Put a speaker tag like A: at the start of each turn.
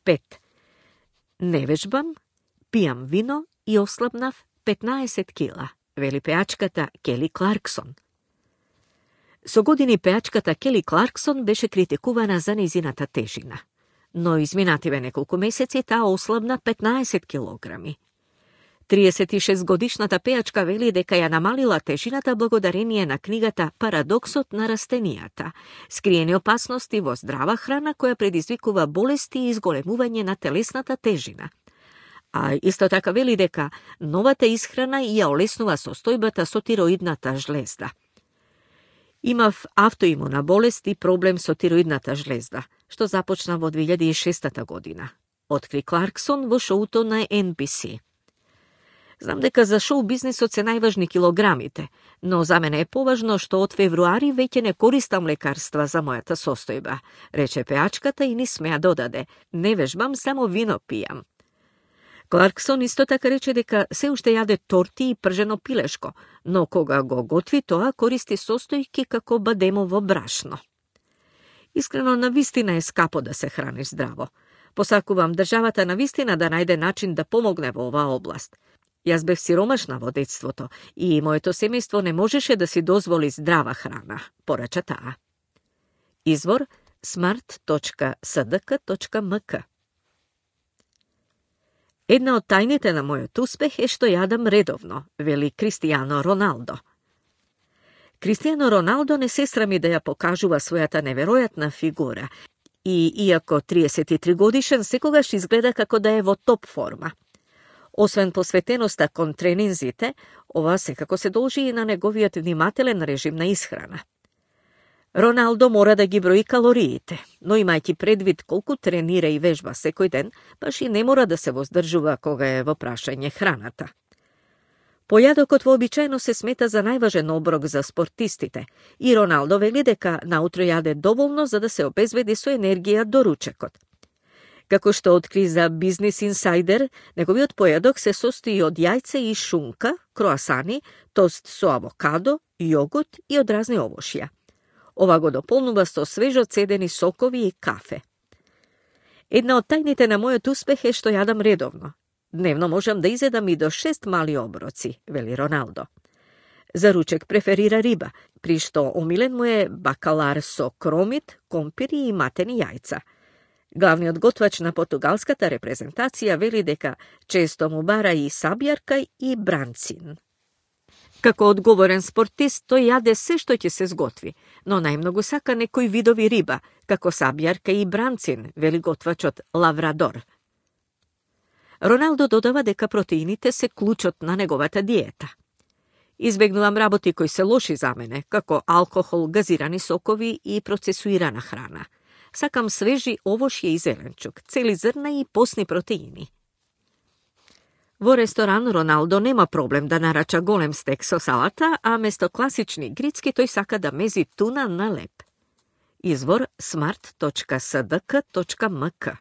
A: 5. Не вежбам, пијам вино и ослабнав 15 кила, вели пеачката Кели Кларксон. Со години пеачката Кели Кларксон беше критикувана за незината тежина, но изминативе неколку месеци таа ослабна 15 килограми. 36-годишната пеачка вели дека ја намалила тежината благодарение на книгата Парадоксот на растенијата, скриени опасности во здрава храна која предизвикува болести и изголемување на телесната тежина. А исто така вели дека новата исхрана ја олеснува состојбата со тироидната жлезда. Имав автоимуна болест и проблем со тироидната жлезда, што започна во 2006 година, откри Кларксон во шоуто на NBC. Знам дека за шоу бизнисот се најважни килограмите, но за мене е поважно што од февруари веќе не користам лекарства за мојата состојба, рече пеачката и ни смеа додаде, не вежбам, само вино пијам. Кларксон исто така рече дека се уште јаде торти и пржено пилешко, но кога го готви тоа користи состојки како бадемово брашно. Искрено, навистина е скапо да се храниш здраво. Посакувам државата навистина да најде начин да помогне во оваа област. Јас бев сиромашна во детството и моето семејство не можеше да си дозволи здрава храна, порача таа. Извор smart.sdk.mk. Една од тајните на мојот успех е што јадам редовно, вели Кристијано Роналдо. Кристијано Роналдо не се срами да ја покажува својата неверојатна фигура и, иако 33 годишен, секогаш изгледа како да е во топ форма. Освен посветеноста кон тренинзите, ова секако се должи и на неговиот внимателен режим на исхрана. Роналдо мора да ги брои калориите, но имајќи предвид колку тренира и вежба секој ден, баш и не мора да се воздржува кога е во прашање храната. Појадокот вообичаено се смета за најважен оброк за спортистите и Роналдо вели дека наутро јаде доволно за да се обезбеди со енергија до ручекот. Како што откри за Бизнис Инсайдер, неговиот појадок се состои од јајце и шунка, круасани, тост со авокадо, јогурт и од разни овошја. Ова го дополнува со свежо цедени сокови и кафе. Една од тајните на мојот успех е што јадам редовно. Дневно можам да изедам и до 6 мали оброци, вели Роналдо. За ручек преферира риба, при што омилен му е бакалар со кромит, компири и матени јајца. Главниот готвач на португалската репрезентација вели дека често му бара и сабјарка и бранцин. Како одговорен спортист, тој јаде се што ќе се сготви, но најмногу сака некои видови риба, како сабјарка и бранцин, вели готвачот Лаврадор. Роналдо додава дека протеините се клучот на неговата диета. Избегнувам работи кои се лоши за мене, како алкохол, газирани сокови и процесуирана храна. Сакам свежи овошје и зеленчук, цели зрна и постни протеини. Во ресторан Роналдо нема проблем да нарача голем стек со салата, а место класични грицки тој сака да мези туна на леб. Извор smart.sdk.mk.